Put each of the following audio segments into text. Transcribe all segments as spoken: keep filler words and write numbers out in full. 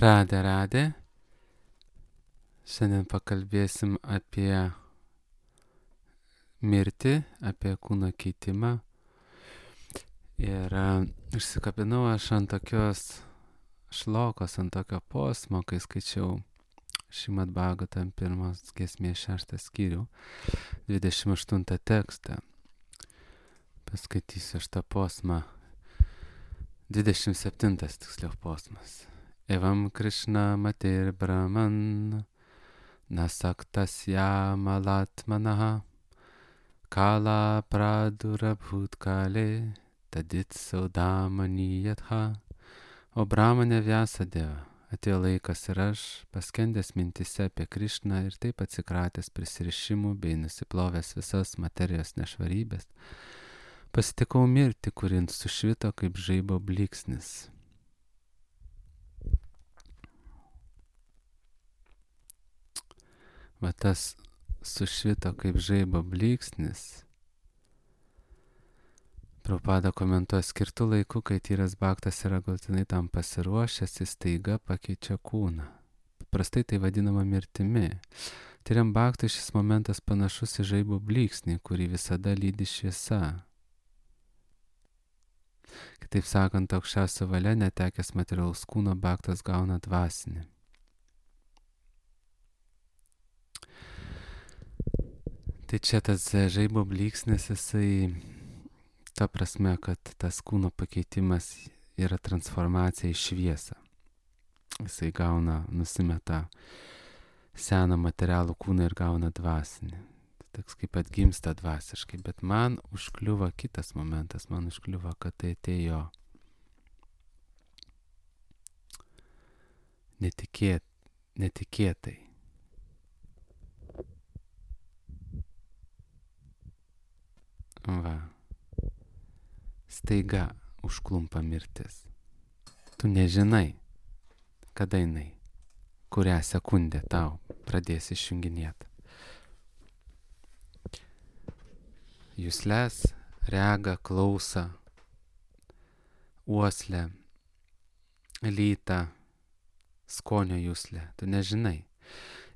Radė, radė. Šiandien pakalbėsim apie mirtį, apie kūno keitimą. Ir uh, išsikabinau aš ant tokios šlokos, ant tokio posmo, kai skaičiau Šrimad Bhagavatam pirmos giesmės šeštą skyrių, dvidešimt aštuntą tekstą. Paskaitysiu aš tą posmą. dvidešimt septintas tiksliau posmas. Evam Krishna matir brahman nasaktasya malatmanaha kala pradurabhut kale tadit saudamani yatha. O Brahmane Vyasadeva, atėjo laikas ir aš, paskendęs mintise apie Krishną ir taip atsikratęs prisirišimų bei nusiplovęs visas materijos nešvarybės, pasitikau mirtį, kuri sušvito kaip žaibo blyksnis. Va tas sušvito kaip žaibo blyksnis. Prabhupada komentuoja, skirtu laiku, kai tyras bhaktas yra galutinai tam pasiruošęs, jis staiga pakeičia kūną. Paprastai tai vadinama mirtimi. Tyriam bhaktui šis momentas panašus į žaibo blyksnį, kurį visada lydi šviesa. Kitaip sakant, aukščiausia valia netekęs materialaus kūno bhaktas gauna dvasinį. Tai čia tas žaibo blyksnis, jisai ta prasme, kad tas kūno pakeitimas yra transformacija į šviesą. Jisai gauna, nusimeta seną materialų kūną ir gauna dvasinį. Toks kaip atgimsta dvasiškai, bet man užkliuvo kitas momentas, man užkliuvo, kad tai atėjo netikėt, netikėtai. Va. Staiga užklumpa mirtis. Tu nežinai, kada jinai, kurią sekundę tau pradės išjunginėti. Jusles, regą, klausą, uoslę, lytą, skonio juslę. Tu nežinai.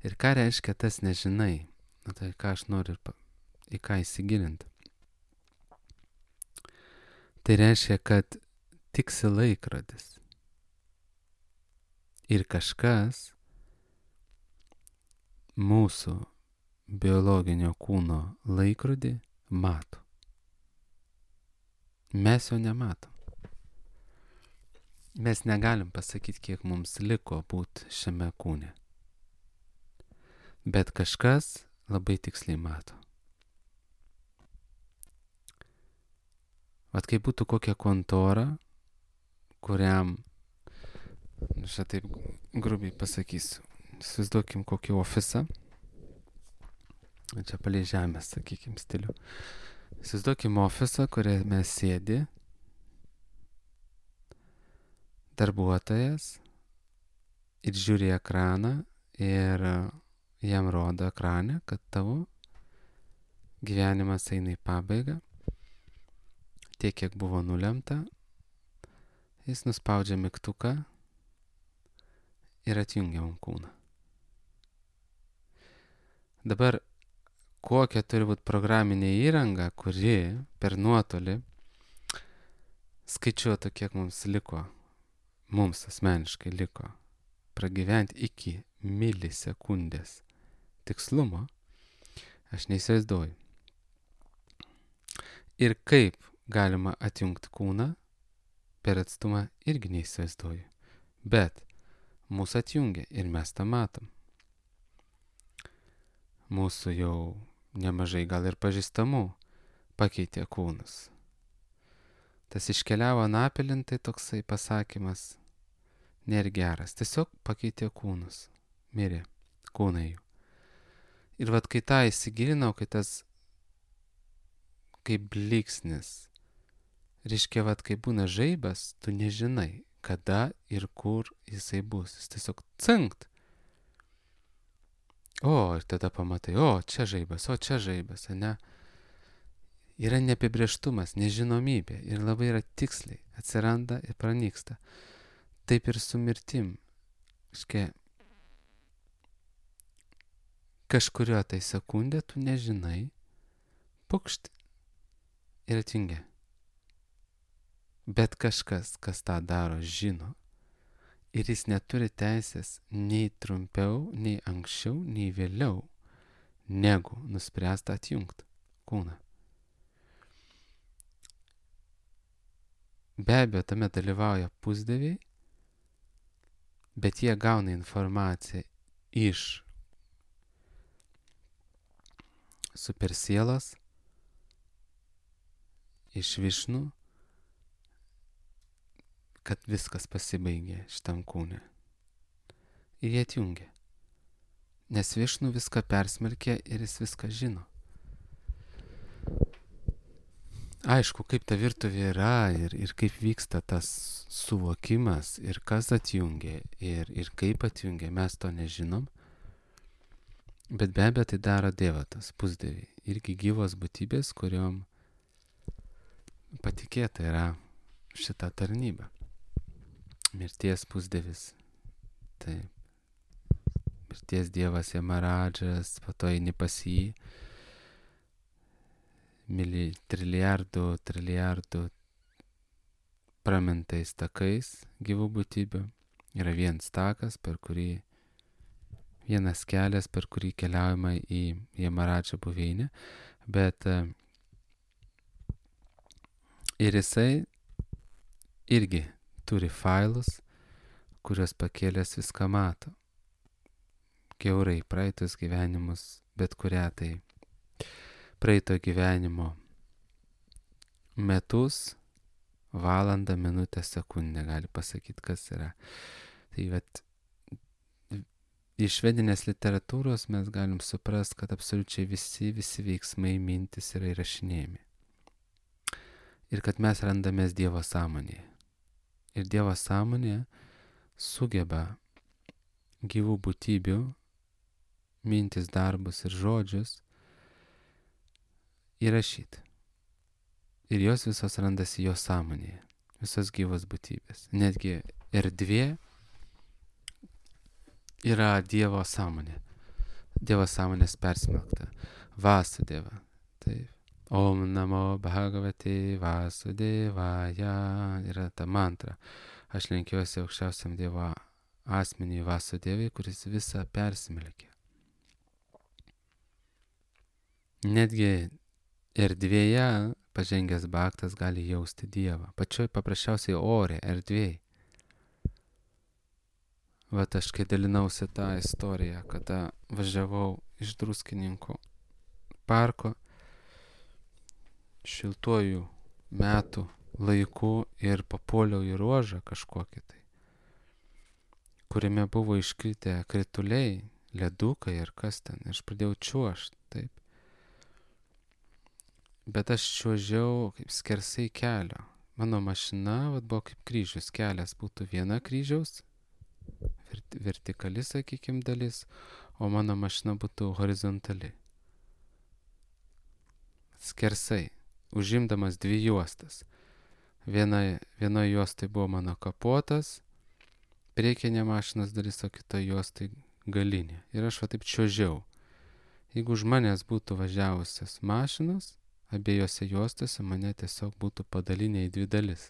Ir ką reiškia tas nežinai? Na tai ką aš noriu į ką įsigilinti. Tai reiškia, kad tiksi laikrodis. Ir kažkas mūsų biologinio kūno laikrodį mato. Mes jo nematom. Mes negalim pasakyti, kiek mums liko būti šiame kūne. Bet kažkas labai tiksliai mato. Vat kaip būtų kokia kontora, kuriam, aš taip grubiai pasakysiu, įsivaizduokim kokį ofisą, čia palei žemės, sakykim, stilių. Įsivaizduokim ofisą, kuriame sėdi darbuotojas ir žiūri ekraną ir jam rodo ekrane, kad tavo gyvenimas eina į pabaigą. Tiek, kiek buvo nulemta, jis nuspaudžia mygtuką ir atjungia mums kūną. Dabar kokia turi būti programinė įranga, kuri per nuotolį skaičiuotų, kiek mums liko, mums asmeniškai liko, pragyventi iki milisekundės tikslumo, aš neįsivaizduoju. Ir kaip galima atjungti kūną per atstumą irgi neįsivaizduoju. Bet mūsų atjungia ir mes tą matom. Mūsų jau nemažai gal ir pažįstamų pakeitė kūnus. Tas iškeliavo anapilin, tai toksai pasakymas nėra geras. Tiesiog pakeitė kūnus. Mirė kūnai jų. Ir vat kai tą įsigilinau, kai tas kaip blyksnis, reiškia, vat kai būna žaibas, tu nežinai, kada ir kur jisai bus. Jis tiesiog cinkt. O, ir tada pamatai, o, čia žaibas, o, čia žaibas, ne? Yra neapibrėžtumas, nežinomybė ir labai yra tiksliai, atsiranda ir pranyksta. Taip ir su mirtim. Škia, kažkurio tai sekundę tu nežinai, pukšt ir atjungia. Bet kažkas, kas tą daro, žino. Ir jis neturi teisės nei trumpiau, nei anksčiau, nei vėliau, negu nuspręsta atjungti kūną. Be abejo, tame dalyvauja pusdieviai, bet jie gauna informaciją iš supersielos, iš Višnų, kad viskas pasibaigė šitam kūne. Ir jie atjungia. Nes Višnų viską persmelkė ir jis viską žino. Aišku, kaip ta virtuvė yra ir, ir kaip vyksta tas suvokimas ir kas atjungia ir, ir kaip atjungia, mes to nežinom. Bet be abejo tai daro Dievatas, pusdieviai. Irgi gyvos būtybės, kuriom patikėta yra šita tarnyba. Mirties pusdievis. Taip. Mirties dievas Jamaradžas, po to eini pas jį. Mili, trilijardų, trilijardų pramintais takais gyvų būtybių. Yra vienas takas, per kurį, vienas kelias, per kurį keliaujama į Jamaradžą buveinę. Bet ir jisai irgi turi failus, kuriuos pakėlęs viską mato. Kiaurai praeitus gyvenimus, bet kurią tai praeito gyvenimo metus, valandą, minutę, sekundę gali pasakyti, kas yra. Tai vat, iš vedinės literatūros mes galim suprast, kad absoliučiai visi, visi veiksmai, mintis yra įrašinėjami. Ir kad mes randamės Dievo sąmonėje. Ir Dievo sąmonė sugeba gyvų būtybių, mintis, darbus ir žodžius įrašyti. Ir jos visos randasi jo sąmonėje. Visos gyvos būtybės. Netgi erdvė yra Dievo sąmonė. Dievo sąmonės persmelkta. Vasudeva. Taip. Om namo bhagavate vasudevaya. Yra ta mantra. Aš lenkiuosi aukščiausiam Dievo asmeniui Vasudevai, kuris visą persmelkė. Netgi erdvėje pažengęs bhaktas gali jausti Dievą. Pačioj paprasčiausiai ore, erdvėj. Vat aš kai dalinausi tą istoriją, kada važiavau iš Druskininkų parko šiltuoju metų laiku ir papuoliau į ruožą kažkokį tai, kuriame buvo iškritę krituliai, ledukai ir kas ten. Ir aš pradėjau čiuožt, taip. Bet aš čiuožiau kaip skersai kelio. Mano mašina vat, buvo kaip kryžius. Kelias būtų viena kryžiaus, vertikali, sakykim, dalis, o mano mašina būtų horizontali. Skersai, užimdamas dvi juostas. Viena, vienoje juostai buvo mano kapotas, priekinė mašinos dalis, o kitoje juostai galinė. Ir aš va taip čiuožiau. Jeigu už manęs būtų važiavusios mašinos, abiejose juostose mane tiesiog būtų padalinę į dvi dalis.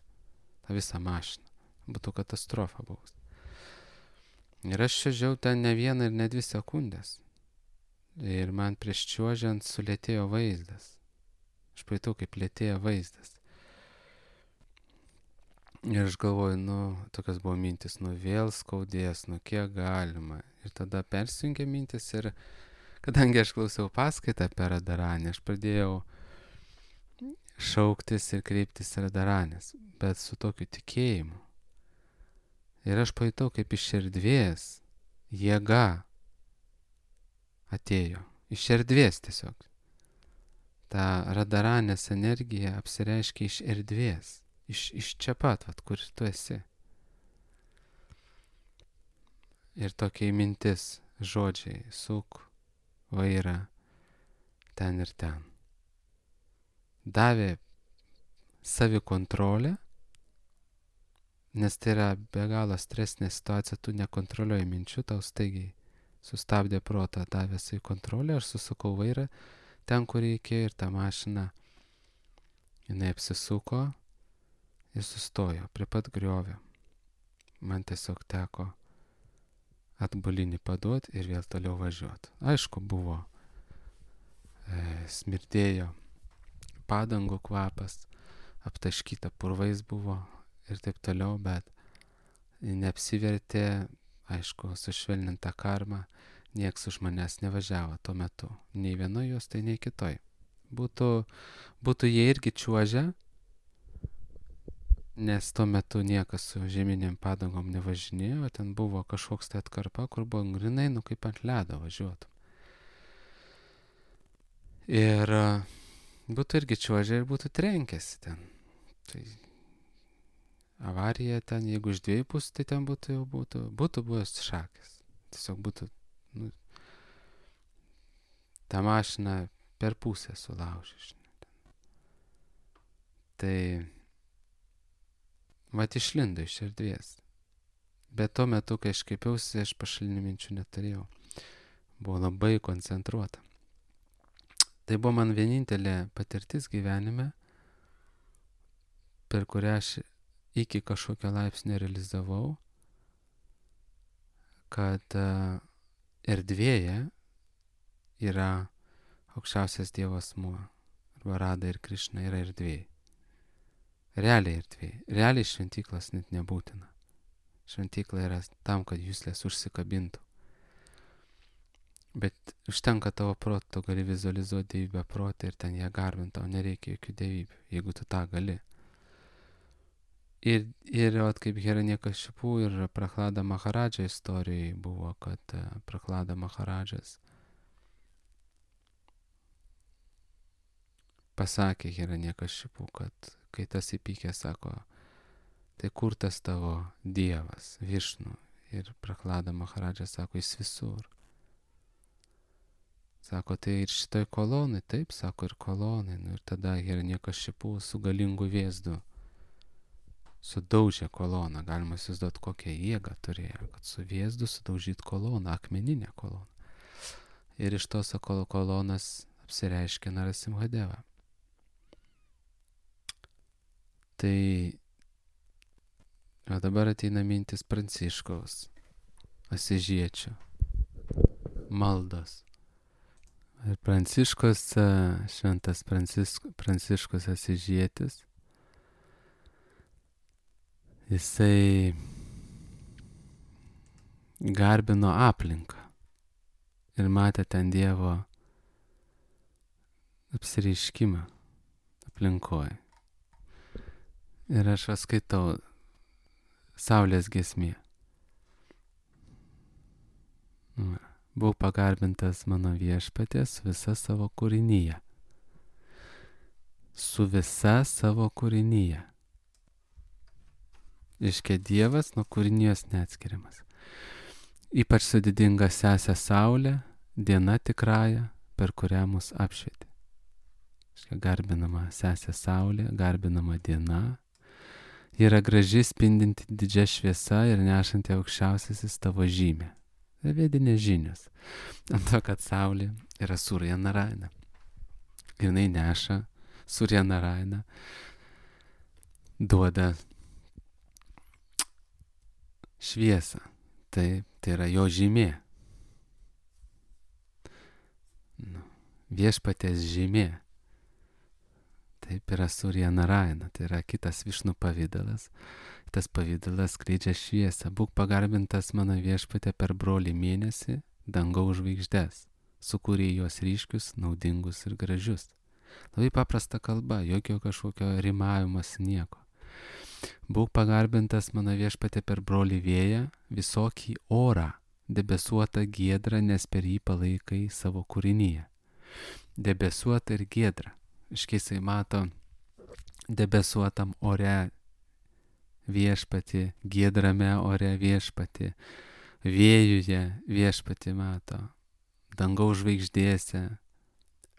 Ta visa mašina. Būtų katastrofa buvus. Ir aš čiuožiau ten ne vieną ir ne dvi sekundės. Ir man prieš čiuožiant sulėtėjo vaizdas. Aš pajutau, kaip lėtėjo vaizdas. Ir aš galvoju, nu, tokios buvo mintis, nu vėl skaudės, nu kiek galima. Ir tada persijungė mintis ir kadangi aš klausiau paskaitą apie Radaranę, aš pradėjau šauktis ir kreiptis Radaranės, bet su tokiu tikėjimu. Ir aš pajutau, kaip iš erdvės jėga atėjo. Iš erdvės tiesiog. Ta Radaranės energija apsireiškia iš erdvės. Iš, iš čia pat, vat, kur tu esi. Ir tokia mintis, žodžiai, suk vairą ten ir ten. Davė savikontrolę, nes tai yra be galo stresinė situacija, tu nekontroliuoji minčių, tau staigiai sustabdė protą, davęs į kontrolę, aš susukau vairą ten, kur reikėjo ir ta mašina, jinai apsisuko ir sustojo prie pat griovio. Man tiesiog teko atbulinį paduoti ir vėl toliau važiuoti. Aišku, buvo, e, smirdėjo padangų kvapas, aptaškyta purvais buvo ir taip toliau, bet neapsivertė, aišku, sušvelninta karma, nieks už manęs nevažiavo tuo metu, nei vienoj jos, tai nei kitoj. Būtų, būtų jie irgi čiuožę, nes tuo metu niekas su žieminėm padangom nevažinėjo, ten buvo kažkoks tai atkarpa, kur buvo grinai, nu kaip ant ledo važiuotų. Ir būtų irgi čiuožę ir būtų trenkęsi ten. Tai avarija ten, jeigu iš dviejų pusių, tai ten būtų jau būtų, būtų buvęs šakės. Tiesiog būtų, nu, tą mašiną per pusę sulaužė. Tai vat išlindo iš erdvės. Bet tuo metu, kai aš kreipiausi, aš pašalinių minčių neturėjau. Buvo labai koncentruota. Tai buvo man vienintelė patirtis gyvenime, per kurią aš iki kažkokio laipsnio realizavau, kad uh, erdvėje yra aukščiausias Dievo asmuo. Arba Rada ir Krišna yra erdvėje. Realiai erdvėje. Realiai šventyklas net nebūtina. Šventykla yra tam, kad juslės užsikabintų. Bet užtenka tavo proto, tu gali vizualizuoti dievybę protą ir ten ją garbinti, tau nereikia jokių dievybių, jeigu tu tą gali. Ir, ir vat, kaip Hiranyakashipu ir Prahlada Maharadža istorijai buvo, kad Prahlada Maharadžas pasakė Hiranyakashipu, kad kai tas įpykė, sako, tai kur tas tavo dievas, Višnu? Ir Prahlada Maharadža sako, jis visur. Sako, tai ir šitoj kolonai, taip, sako, ir kolonai. Nu, ir tada Hiranyakashipu su galingu vėzdu sudaužė koloną. Galima įsivaizduoti, kokią jėgą turėjo, kad su vėzdu sudaužyti koloną, akmeninę koloną. Ir iš tos kolonas apsireiškė Narasimhadeva. Tai o dabar ateina mintis Pranciškaus Asižiečio maldos. Ir Pranciškus, šventas Prancisk, Pranciškus Asižietis, jisai garbino aplinką ir matė ten Dievo apsireiškimą aplinkoje. Ir aš skaitau Saulės giesmė. Buvau pagarbintas mano viešpaties visa savo kūrinyje. Su visa savo kūrinyje. Iškia Dievas nuo kūrinijos neatskiriamas. Ypač su didinga sesė Saulė, diena tikrąja, per kurią mus apšvietė. Iškia garbinama sesė Saulė, garbinama diena. Ji yra graži, spindinti didžia šviesa ir nešanti aukščiausiasis tavo žymė. Tai vedinės žinios. Ant to, kad Saulė yra Surya Narayana. Ir jinai neša Surya Narayana, duoda šviesą. Tai, tai yra jo žymė. Nu, viešpaties žymė. Taip yra Surya Narayana, tai yra kitas Višnu pavidalas. Tas pavidalas skleidžia šviesą. Būk pagarbintas mano viešpatė per brolį mėnesį, dangaus žvaigždes, sukūrė juos ryškius, naudingus ir gražius. Labai paprasta kalba, jokio kažkokio rimavimas, nieko. Būk pagarbintas mano viešpatė per brolį vėją, visokį orą, debesuotą giedrą, nes per jį palaikai savo kūrinyje. Debesuota ir giedra. Iškeisai mato debesuotam ore viešpatį, giedrame ore viešpatį, vėjuje viešpatį mato, dangaus žvaigždėse,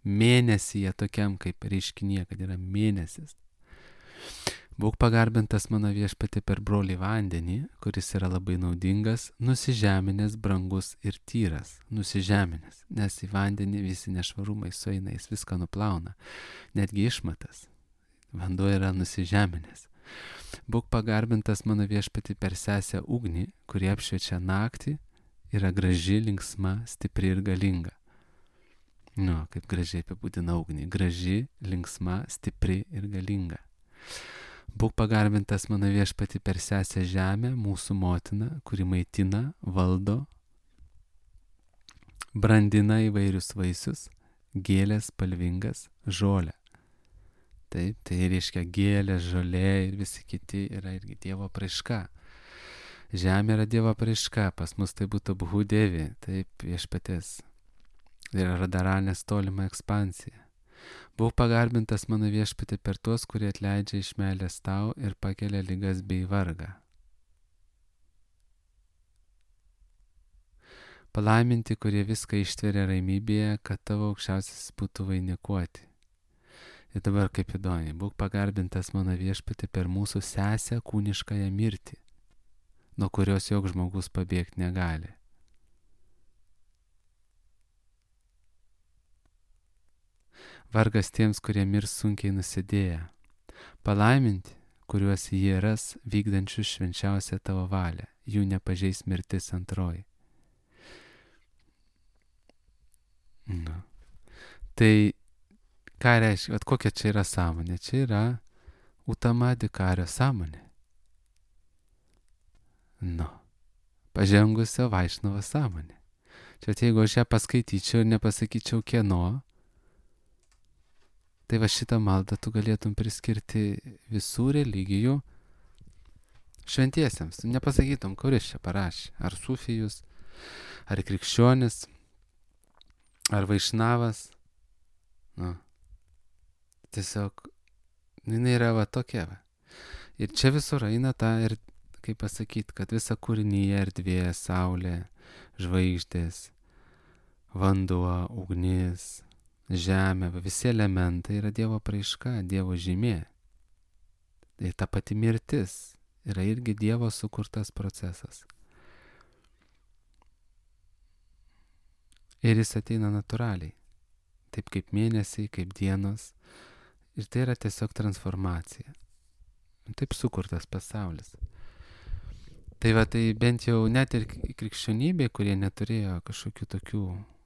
mėnesyje tokiam kaip reiškinyje, kad yra mėnesis. Būk pagarbintas mano viešpati per brolį vandenį, kuris yra labai naudingas, nusižeminęs, brangus ir tyras. Nusižeminęs, nes į vandenį visi nešvarumai sueina, jis viską nuplauna, netgi išmatas. Vanduo yra nusižeminęs. Būk pagarbintas mano viešpati per sesę ugnį, kuri apšviečia naktį, yra graži, linksma, stipri ir galinga. Nu, kaip gražiai apibūdina ugnį. Graži, linksma, stipri ir galinga. Būk pagarbintas mano viešpati per sesę žemę, mūsų motiną, kuri maitina, valdo, brandina įvairius vaisius, gėlės, spalvingas, žolę. Taip, tai reiškia gėlė, žolė ir visi kiti yra irgi Dievo apraiška. Žemė yra Dievo apraiška, pas mus tai būtų Bhudevi, taip, viešpatės. Tai yra Radaranės tolima ekspansija. Būk pagarbintas mano viešpati per tuos, kurie atleidžia iš meilės tau ir pakelia ligas bei vargą. Palaiminti, kurie viską ištveria ramybėje, kad tavo aukščiausias būtų vainikuoti. Ir dabar kaip įdomi, būk pagarbintas mano viešpati per mūsų sesę kūniškąją mirtį, nuo kurios joks žmogus pabėgti negali. Vargas tiems, kurie mirs sunkiai nusidėję. Palaiminti, kuriuos jie ras vykdančius švenčiausią tavo valią, jų nepažeis mirtis antroji. Nu. Tai ką reiškia, at kokia čia yra sąmonė? Čia yra utamadikario sąmonė. Nu. Pažengusio Vaišnavo sąmonė. Čia jeigu aš ją paskaityčiau ir nepasakyčiau kieno, tai va šitą maldą tu galėtum priskirti visų religijų šventiesiems. Tu nepasakytum, kuris čia parašė. Ar sufijus, ar krikščionis, ar vaišnavas. Nu. Tiesiog, jinai yra va tokia va. Ir čia visur eina ta, ir kaip pasakyti, kad visa kūrinyje erdvė, saulė, žvaigždės, vanduo, ugnis, žemė, visi elementai yra Dievo apraiška, Dievo žymė. Tai ta pati mirtis yra irgi Dievo sukurtas procesas. Ir jis ateina natūraliai, taip kaip mėnesiai, kaip dienos. Ir tai yra tiesiog transformacija. Taip sukurtas pasaulis. Tai va, tai bent jau net ir krikščionybė, kurie neturėjo kažkokių tokių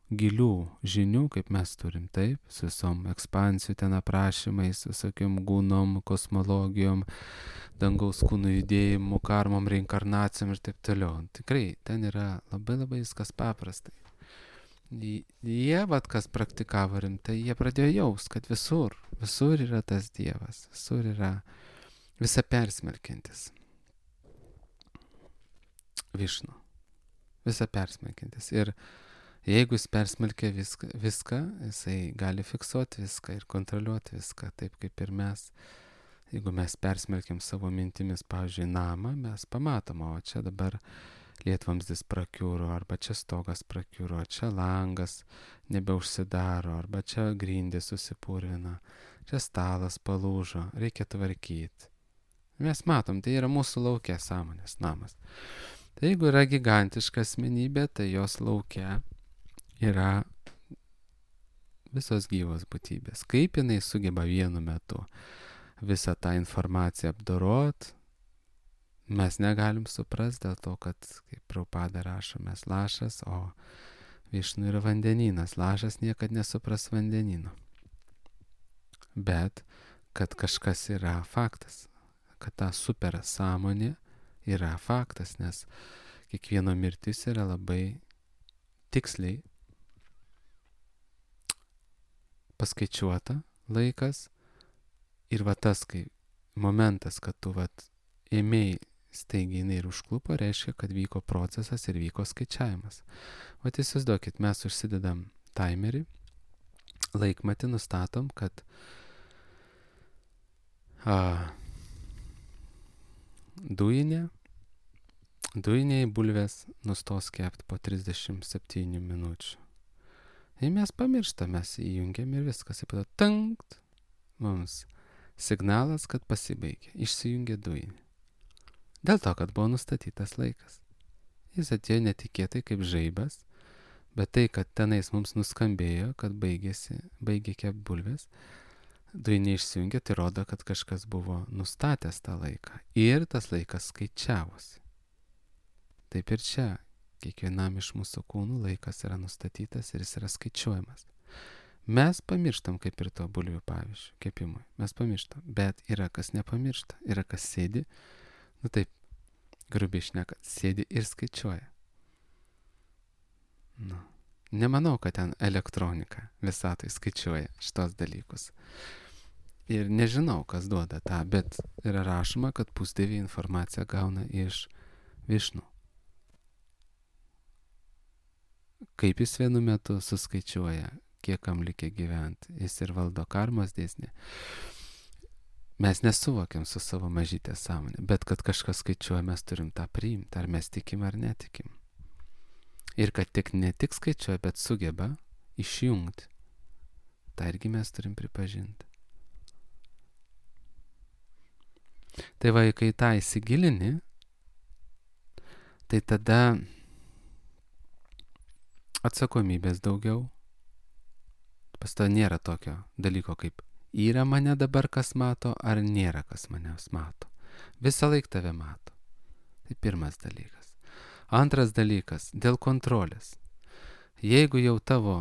gilių žinių, kaip mes turim, taip, su visom ekspansijų ten aprašymais, visokiom gūnom, kosmologijom, dangaus kūnų judėjimu, karmom, reinkarnacijom ir taip toliau. Tikrai, ten yra labai labai viskas paprastai. Jie, vat, kas praktikavo rimtai, jie pradėjo jaust, kad visur, visur yra tas Dievas, visur yra visa persmelkiantis. Višnu. Visa persmelkiantis. Ir jeigu jis persmelkia viską, viską, jisai gali fiksuoti viską ir kontroliuoti viską, taip kaip ir mes. Jeigu mes persmelkiam savo mintimis, pavyzdžiui, namą, mes pamatom, o čia dabar lietvamzdis prakiuro, arba čia stogas prakiuro, čia langas nebeužsidaro, arba čia grindys susipurvina, čia stalas palūžo, reikia tvarkyti. Mes matom, tai yra mūsų lauke sąmonės namas. Tai jeigu yra gigantiška asmenybė, tai jos lauke yra visos gyvos būtybės. Kaip jinai sugeba vienu metu visą tą informaciją apdorot, mes negalim suprast dėl to, kad, kaip Prabhupada rašo, mes lašas, o Višnu yra vandenynas. Lašas niekad nesupras vandenino. Bet, kad kažkas yra faktas, kad ta super sąmonė yra faktas, nes kiekvieno mirtis yra labai tiksliai paskaičiuota laikas ir va tas, kai momentas, kad tu vat ėmėjai staigiai jinai ir užklupo, reiškia, kad vyko procesas ir vyko skaičiavimas. O įsivaizduokit, mes užsidedam timerį, laikmatį nustatom, kad a, dujinė, dujiniai bulvės nustos kepti po trisdešimt septynių minučių. Ir mes pamirštam, mes įjungiam ir viskas, ir tada tankt, mums Signalas, kad pasibaigė, išsijungė dujinį. Dėl to, kad buvo nustatytas laikas. Jis atėjo netikėtai kaip žaibas, bet tai, kad tenais mums nuskambėjo, kad baigėsi, baigė kep bulvės, dujinė išsijungė, tai rodo, kad kažkas buvo nustatęs tą laiką. Ir tas laikas skaičiavosi. Taip ir čia, kiekvienam iš mūsų kūnų laikas yra nustatytas ir jis yra skaičiuojamas. Mes pamirštam, kaip ir to bulvių pavyzdžių, kepimui. Mes pamirštam, bet yra kas nepamiršta, yra kas sėdi, nu taip, grubiai šnekant, sėdi ir skaičiuoja. Nu, nemanau, kad ten elektronika visatoj skaičiuoja šitos dalykus. Ir nežinau, kas duoda tą, bet yra rašoma, kad pusdieviai informaciją gauna iš Višnu. Kaip jis vienu metu suskaičiuoja, kiek kam likę gyventi, jis ir valdo karmos dėsnį. Mes nesuvokiam su savo mažytė sąmonė, bet kad kažkas skaičiuoja, mes turim tą priimti, ar mes tikim ar netikim. Ir kad tik ne tik skaičiuoja, bet sugeba išjungti. Tai irgi mes turim pripažinti. Tai va, kai tą įsigilini, tai tada atsakomybės daugiau. Pas to nėra tokio dalyko kaip yra mane dabar kas mato, ar nėra kas manęs mato. Visą laiką tave mato. Tai pirmas dalykas. Antras dalykas, dėl kontrolės. Jeigu jau tavo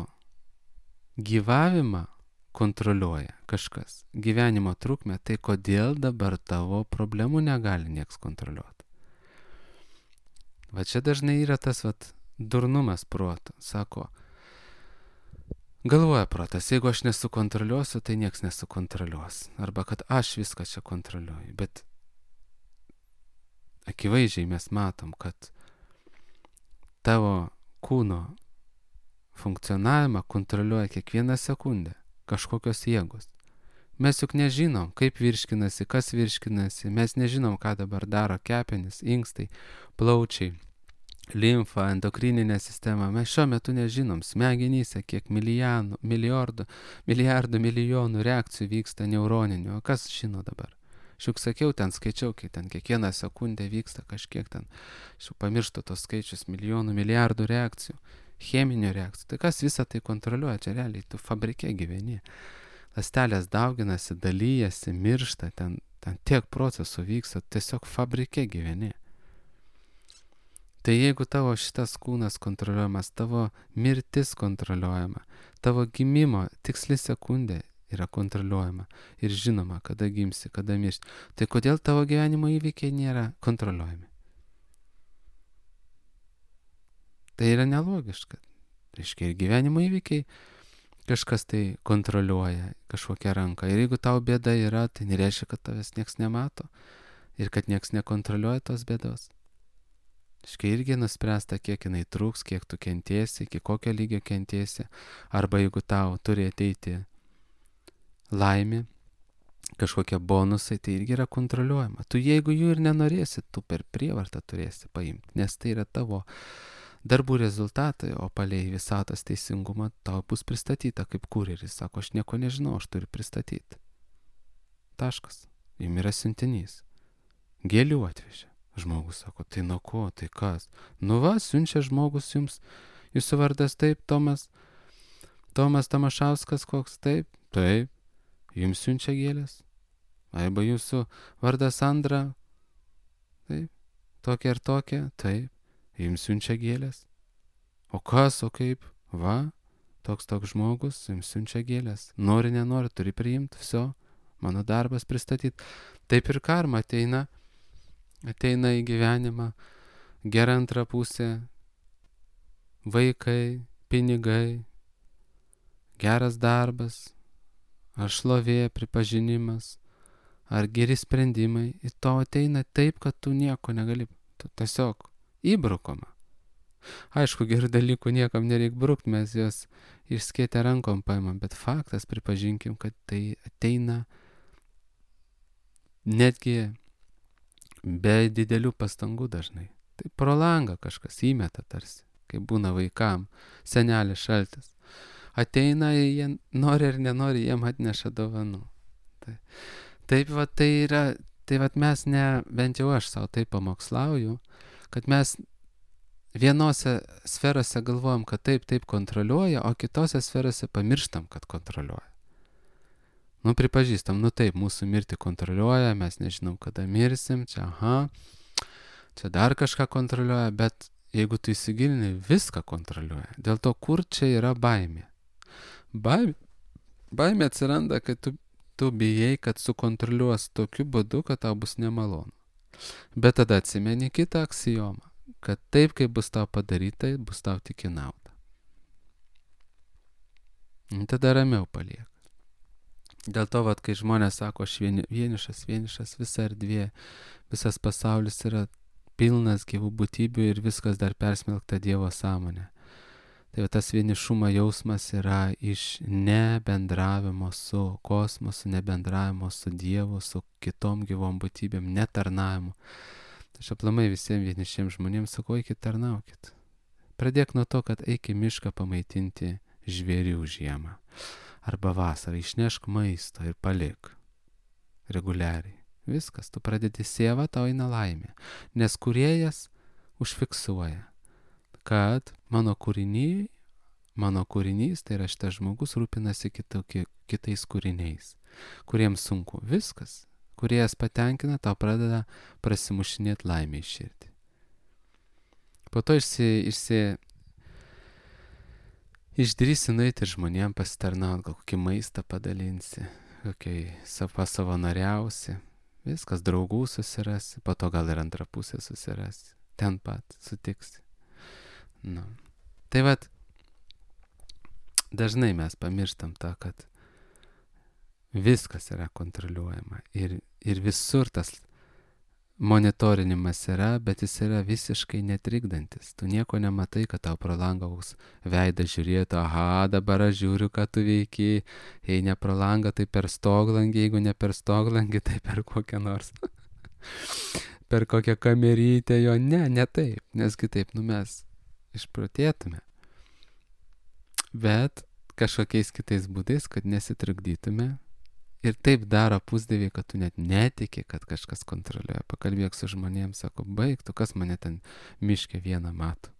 gyvavimą kontroliuoja kažkas, gyvenimo trukmę, tai kodėl dabar tavo problemų negali nieks kontroliuoti? Va čia dažnai yra tas vat durnumas proto. Sako, galvoja protas, jeigu aš nesukontroliuosiu, tai nieks nesukontroliuos. Arba kad aš viską čia kontroliuoju. Bet akivaizdžiai mes matom, kad tavo kūno funkcionavimą kontroliuoja kiekvieną sekundę kažkokios jėgos. Mes juk nežinom, kaip virškinasi, kas virškinasi. Mes nežinom, ką dabar daro kepenys, inkstai, plaučiai, limfa, endokrininė sistema. Mes šiuo metu nežinom smegenyse, kiek milijonų, milijardų, milijardų, milijonų reakcijų vyksta neuroninių. O kas žino dabar? Aš juk sakiau, ten skaičiau, kai ten kiekvieną sekundę vyksta kažkiek ten. Aš jau pamirštu tos skaičius, milijonų, milijardų reakcijų, cheminių reakcijų. Tai kas visą tai kontroliuoja? Čia realiai tu fabrike gyveni. Ląstelės dauginasi, dalyjasi, miršta, ten, ten tiek procesų vyksta, tiesiog fabrike gyveni. Tai jeigu tavo šitas kūnas kontroliuojamas, tavo mirtis kontroliuojama, tavo gimimo tiksli sekundė yra kontroliuojama ir žinoma, kada gimsi, kada mirsi, tai kodėl tavo gyvenimo įvykiai nėra kontroliuojami? Tai yra nelogiška. Reiškia, ir gyvenimo įvykiai kažkas tai kontroliuoja, kažkokią ranką. Ir jeigu tau bėda yra, tai nereiškia, kad tavęs nieks nemato ir kad nieks nekontroliuoja tos bėdos. Reiškia, irgi nuspręsta, kiek jinai truks, kiek tu kentiesi, iki kokio lygio kentiesi. Arba jeigu tau turi ateiti laimė, kažkokie bonusai, tai irgi yra kontroliuojama. Tu jeigu jų ir nenorėsi, tu per prievartą turėsi paimti, nes tai yra tavo darbų rezultatai, o palei visatos teisingumą tau bus pristatyta kaip kurjeris. Sako, aš nieko nežinau, aš turiu pristatyti. Taškas. Jums yra siuntinys. Gėlių atvežė. Žmogus sako, tai nuo ko, tai kas? Nu va, siunčia žmogus jums, jūsų vardas taip, Tomas, Tomas Tamašauskas koks, taip, taip, jums siunčia gėlės. Arba jūsų vardas Sandra, taip, tokia ir tokia, taip. Jums siunčia gėlės. O kas, o kaip? Va, toks toks žmogus, jums siunčia gėlės. Nori, nenori, turi priimti, viso, mano darbas pristatyti. Taip ir karma ateina, ateina į gyvenimą, gera antra pusė, vaikai, pinigai, geras darbas, ar šlovė, pripažinimas, ar geri sprendimai. Ir to ateina taip, kad tu nieko negali, tu tiesiog įbrukoma. Aišku, gerų dalykų niekam nereik brukt, mes jos išskėtę rankom paimam, bet faktas, pripažinkim, kad tai ateina netgi be didelių pastangų dažnai. Tai pro langą kažkas įmeta tarsi, kai būna vaikam, senelis šaltis. Ateina, jie nori ar nenori, jiem atneša dovanų. Tai, Taip va tai yra, tai va mes ne, bent jau aš savo taip pamokslauju, kad mes vienose sferose galvojam, kad taip, taip kontroliuoja, o kitose sferose pamirštam, kad kontroliuoja. Nu, pripažįstam, nu taip, mūsų mirtį kontroliuoja, mes nežinom, kada mirsim, čia, aha, čia dar kažką kontroliuoja, bet jeigu tu įsigilini, viską kontroliuoja. Dėl to, kur čia yra baimė? Baimė, baimė atsiranda, kad tu, tu bijai, kad sukontroliuos tokiu būdu, kad tau bus nemalonu. Bet tada atsimeni kitą aksijomą, kad taip, kaip bus tau padaryta, bus tau tik į naudą. Tada ramiau paliek. Dėl to, vat, kai žmonės sako, aš vieni, vienišas, vienišas, visa erdvė, visas pasaulis yra pilnas gyvų būtybių ir viskas dar persmelkta Dievo sąmonė. Tai va, tas vienišumo jausmas yra iš nebendravimo su kosmosu, nebendravimo su Dievu, su kitom gyvom būtybėm, netarnavimu. Aš aplamai visiems vienišiems žmonėms sakau, eikit tarnaukit. Pradėk nuo to, kad eik į mišką pamaitinti žvėrių žiemą. Arba vasarą išnešk maisto ir palik reguliariai. Viskas, tu pradedi sievą, tau eina laimė. Nes kūrėjas užfiksuoja, kad mano kūriniai, mano kūrinys, tai yra šitas žmogus, rūpinasi kitokie, kitais kūriniais, kuriems sunku. Viskas, kūrėjas patenkina, tau pradeda prasimušinėti laimę į širdį. Po to išsi... išsi Išdrįsi nueiti ir žmonėm pasitarnauti, gal kokį maistą padalinsi, kokį pasavanoriausi, viskas, draugų susirasi, po to gal ir antrą pusę susirasi, ten pat sutiksi. Nu. Tai vat, dažnai mes pamirštam tą, kad viskas yra kontroliuojama ir, ir visur tas monitorinimas yra, bet jis yra visiškai netrikdantis. Tu nieko nematai, kad tau pro langą veidą žiūrėtų, aha, dabar aš žiūriu, ką tu veiki, jei ne pro langą, tai per stoglangį, jeigu ne per stoglangį, tai per kokią nors, per kokią kamerytę jo, ne, ne taip, nes kitaip, nu mes išprotėtume. Bet kažkokiais kitais būdais, kad nesitrukdytume. Ir taip daro pusdieviai, kad tu net netiki, kad kažkas kontroliuoja. Pakalbėk su žmonėms, sako, baig, tu kas mane ten miške vieną mato.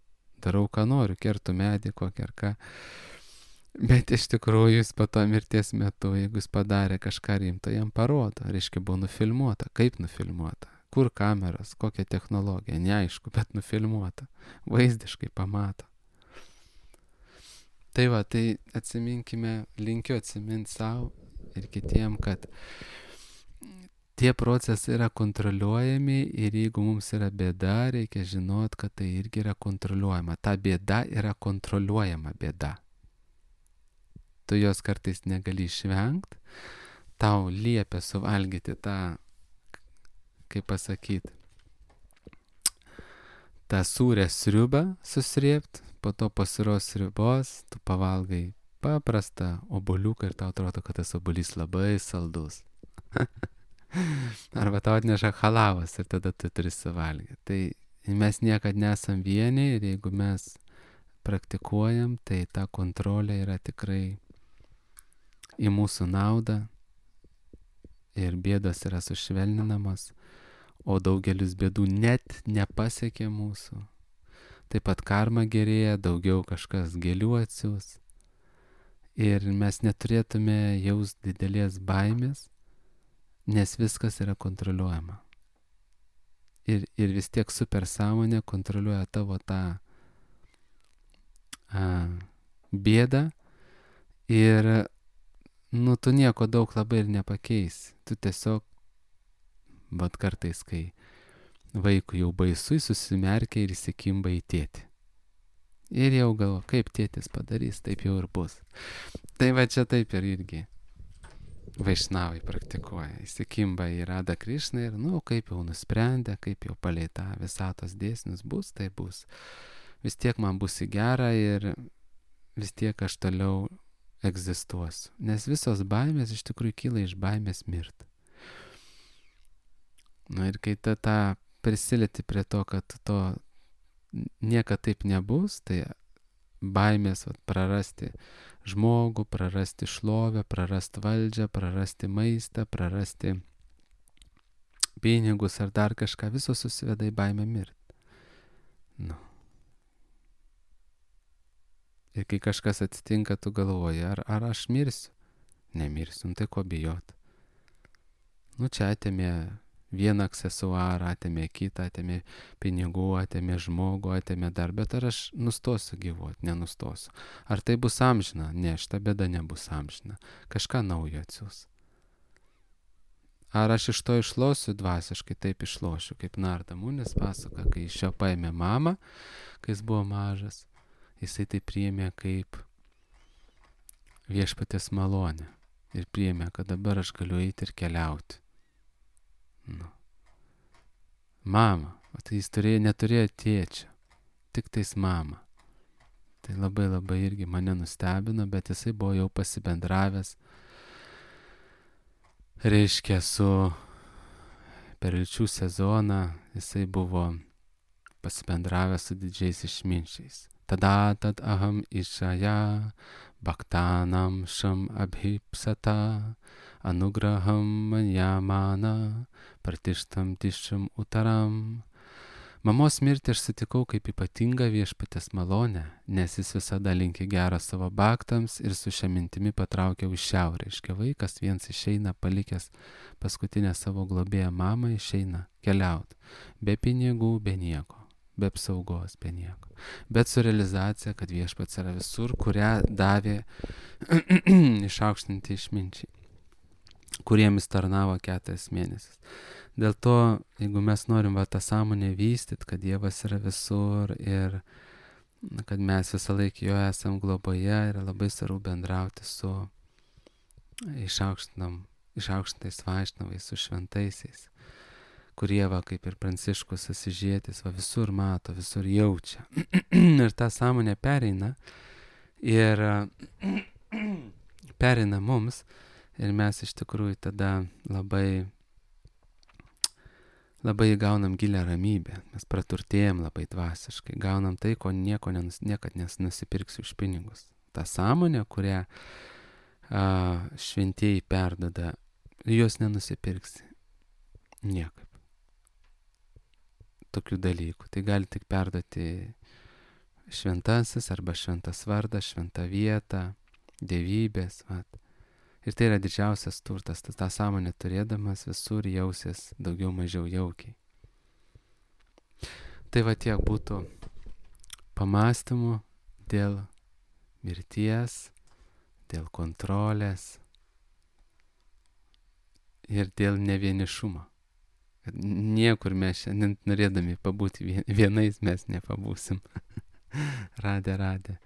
Darau, ką noriu, kertu medį kokį ar ką. Bet iš tikrųjų jis po to mirties metu, jeigu jis padarė kažką rimto, jam parodo. Reiškia, buvo nufilmuota. Kaip nufilmuota? Kur kameros? Kokia technologija? Neaišku, bet nufilmuota. Vaizdiškai pamato. Tai va, tai atsiminkime, linkiu atsiminti savo ir kitiem, kad tie procesai yra kontroliuojami ir jeigu mums yra bėda, reikia žinot, kad tai irgi yra kontroliuojama. Ta bėda yra kontroliuojama bėda. Tu jos kartais negali išvengti, tau liepia suvalgyti tą, kaip pasakyti, tą sūrę sriubą susrėpt, po to pasiros sriubos, tu pavalgai paprastą obuoliuką ir tau atrodo, kad tas obuolys labai saldus. Arba tau atneša halavas ir tada tu turi suvalgyti. Tai mes niekad nesam vieni ir jeigu mes praktikuojam, tai ta kontrolė yra tikrai į mūsų naudą ir bėdos yra sušvelninamos, o daugelis bėdų net nepasiekia mūsų. Taip pat karma gerėja, daugiau kažkas gėlių atsiūs. Ir mes neturėtume jaust didelės baimės, nes viskas yra kontroliuojama. Ir, ir vis tiek supersąmonė kontroliuoja tavo tą a, bėdą ir nu, tu nieko daug labai ir nepakeisi. Tu tiesiog, bet kartais, kai vaikui jau baisu, jis susimerkia ir įsikimba į tėtį. Ir jau galvo, kaip tėtis padarys, taip jau ir bus. Tai va čia taip ir irgi vaišnavai praktikuoja. Įsikimba į Radha Krišną ir, nu, kaip jau nusprendė, kaip jau palei tą visatos dėsnius bus, tai bus. Vis tiek man bus į gerą ir vis tiek aš toliau egzistuosiu. Nes visos baimės iš tikrųjų kyla iš baimės mirti. Nu ir kai ta, ta prisilieti prie to, kad to niekad taip nebus, tai baimės vat, prarasti žmogų, prarasti šlovę, prarasti valdžią, prarasti maistą, prarasti pinigus ar dar kažką, visos susiveda į baimę mirti. Nu. Ir kai kažkas atsitinka, tu galvoji, ar, ar aš mirsiu? Nemirsiu, nu tai ko bijot? Nu čia atėmė vieną aksesuarą, atėmė kitą, atėmė pinigų, atėmė žmogų, atėmė dar, bet ar aš nustosiu gyvuoti? Nenustosiu. Ar tai bus amžina? Ne, šita bėda nebus amžina. Kažką naujo atsiūs. Ar aš iš to išlosiu dvasiškai? Taip išlošiu, kaip Narda Munis pasaka, kai iš jo paėmė mamą, kai jis buvo mažas, jisai tai priėmė kaip viešpaties malonę ir priėmė, kad dabar aš galiu eiti ir keliauti. Nu. Mama, o tai jis turėjo, neturėjo tėčio, tik tais mama. Tai labai labai irgi mane nustebino, bet jisai buvo jau pasibendravęs, reiškia, su per liūčių sezoną, jisai buvo pasibendravęs su didžiais išminčiais. Tada tad aham išaja bhaktanam šam abhipsata anugraham manjamana partištam tišam utaram. Mamos mirtį aš sutikau kaip ypatingą viešpatės malonę, nes jis visada linkė gerą savo baktams ir su šia mintimi patraukė už šiaurę. Iškia vaikas viens išeina, palikęs paskutinę savo globėją mamą, išeina keliauti. Be pinigų, be nieko, be apsaugos, be nieko. Bet su realizacija, kad viešpats yra visur, kurią davė išaukštinti išminčiai, kuriems tarnavo keturis mėnesius. Dėl to, jeigu mes norim va tą sąmonę vystyti, kad Dievas yra visur ir kad mes visą laiką jo esam globoje, yra labai svarbu bendrauti su išaukštintais vaišnavais, su šventaisiais, kurie va kaip ir Pranciškus Asyžietis va visur mato, visur jaučia. Ir ta sąmonė pereina ir pereina mums ir mes iš tikrųjų tada labai labai gaunam gilią ramybę, mes praturtėjam labai dvasiškai, gaunam tai, ko nieko nenus, niekad nusipirksi už pinigus. Ta sąmonė, kurią a, šventieji perdada, jos nenusipirksi niekaip. Tokių dalykų. Tai gali tik perduoti šventasis arba šventas vardas, šventa vieta, dievybės, vat. Ir tai yra didžiausias turtas, tas tą sąmonę turėdamas visur jausies daugiau mažiau jaukiai. Tai va tiek būtų pamastymų dėl mirties, dėl kontrolės ir dėl nevienišumo. Niekur mes šiandien norėdami pabūti vienais mes nepabūsim. Radė, radė.